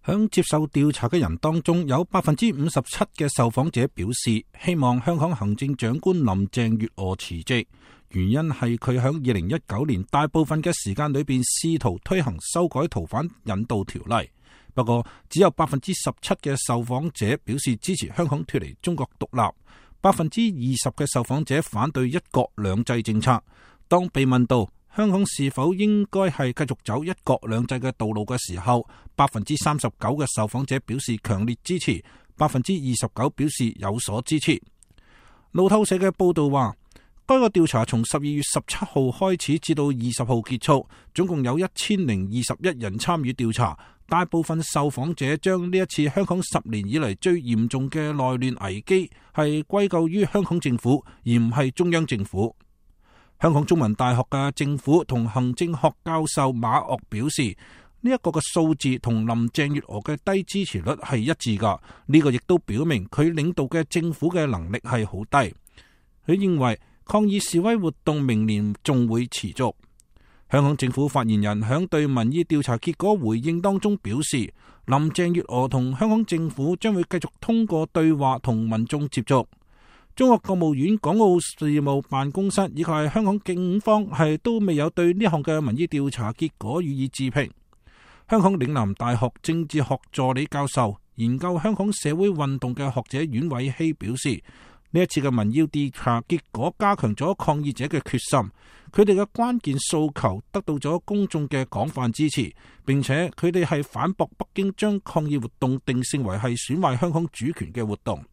響接受調查嘅人當中，有57%嘅受訪者表示希望香港行政長官林鄭月娥辭職，原因係佢響2019年大部分嘅時間裏邊試圖推行修改逃犯引渡條例。不過，只有17%嘅受訪者表示支持香港脫離中國獨立，20%嘅受訪者反對一國兩制政策。當被問到香港是否應該係繼續走一國兩制嘅道路嘅時候，39%嘅受訪者表示強烈支持，29%表示有所支持。路透社嘅報道話，該個調查從12月17號開始至到20號結束，總共有1021人參與調查。大部分受訪者將呢一次香港10年以嚟最嚴重嘅內亂危機係歸咎於香港政府，而唔係中央政府。香港中文大學嘅政府同行政學教授馬嶽表示，呢一個嘅數字同林鄭月娥嘅低支持率係一致噶，呢個亦都表明佢領導嘅政府嘅能力係好低。佢認為抗議示威活動明年仲會持續。香港政府發言人響對民意調查結果回應當中表示，林鄭月娥同香港政府將會繼續通過對話同民眾接觸。中國國務院港澳事務辦公室以及香港警方都未有對呢項嘅民意調查結果予以置評。香港嶺南大學政治學助理教授、研究香港社會運動嘅學者阮偉希表示，呢一次嘅民意調查結果加強咗抗議者嘅決心，佢哋嘅關鍵訴求得到咗公眾嘅廣泛支持，並且佢哋係反駁北京將抗議活動定性為係損壞香港主權嘅活動。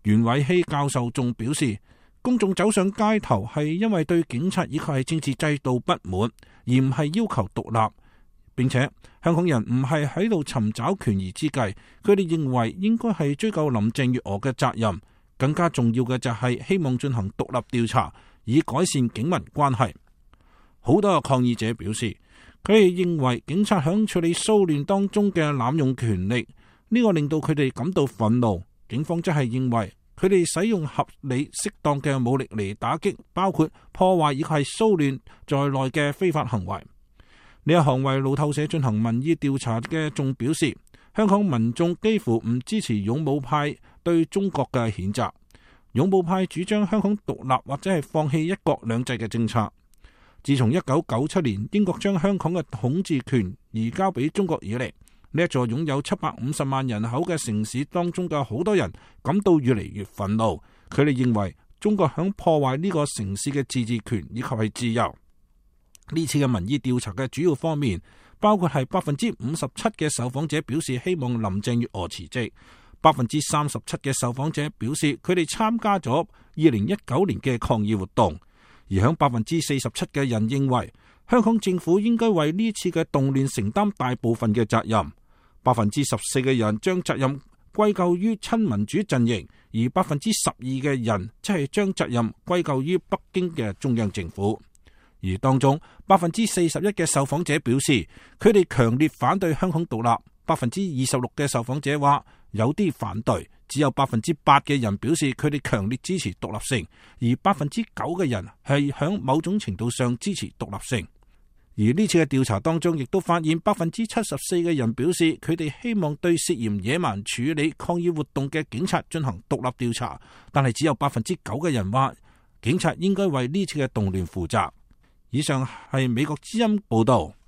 袁偉希教授仲表示，公眾走上街頭係因為對警察以及係政治制度不滿，而唔係要求獨立，並且香港人唔係喺度尋找權宜之計，佢哋認為應該係追究林鄭月娥嘅責任。更加重要嘅就係希望進行獨立調查，以改善警民關係。好多抗議者表示，佢哋認為警察響處理騷亂當中嘅濫用權力，呢個令到佢哋感到憤怒。警方則係認為佢哋使用合理適當嘅武力嚟打擊包括破壞以及係騷亂在內嘅非法行為。呢一行為路透社進行民意調查嘅仲表示，香港民眾幾乎唔支持勇武派對中國嘅譴責。勇武派主張香港獨立或者係放棄一國兩制嘅政策。自從1997年英國將香港嘅統治權移交俾中國以嚟，呢一座擁有750萬人口嘅城市當中嘅好多人感到越嚟越憤怒。佢哋認為中國響破壞呢個城市嘅自治權以及係自由。呢次嘅民意調查嘅主要方面包括係57%嘅受訪者表示希望林鄭月娥辭職，37%嘅受訪者表示佢哋參加咗2019年嘅抗議活動，而響47%嘅人認為香港政府應該為呢次嘅動亂承擔大部分嘅責任。14%嘅人將責任歸咎於親民主陣營，而12%嘅人即係將責任歸咎於北京嘅中央政府。而當中41%嘅受訪者表示佢哋強烈反對香港獨立，26%嘅受訪者話有啲反對，只有8%嘅人表示佢哋強烈支持獨立性，而9%嘅人係響某種程度上支持獨立性。而呢次嘅調查當中亦都發現74%嘅人表示佢哋希望對涉嫌野蠻處理抗議活動嘅警察進行獨立調查，但係只有9%嘅人話警察應該為呢次嘅動亂負責。以上係美國之音報道。